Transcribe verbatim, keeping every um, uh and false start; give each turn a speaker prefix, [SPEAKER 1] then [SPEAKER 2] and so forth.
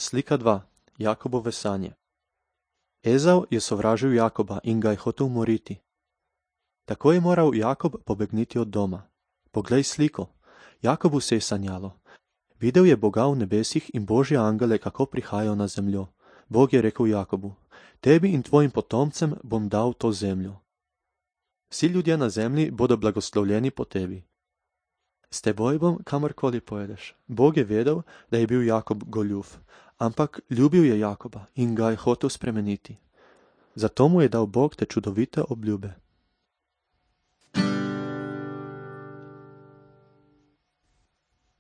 [SPEAKER 1] Slika dva. Jakobove sanje. Ezav je sovražil Jakoba in ga je hotel umoriti. Tako je moral Jakob pobegniti od doma. Poglej sliko. Jakobu se je sanjalo. Videl je Boga v nebesih in božje angele, kako prihajajo na zemljo. Bog je rekel Jakobu: tebi in tvojim potomcem bom dal to zemljo. Vsi ljudje na zemlji bodo blagoslovljeni po tebi. S teboj bom, kamorkoli pojedeš. Bog je vedel, da je bil Jakob goljuf, ampak ljubil je Jakoba in ga je hotel spremeniti. Zato mu je dal Bog te čudovite obljube.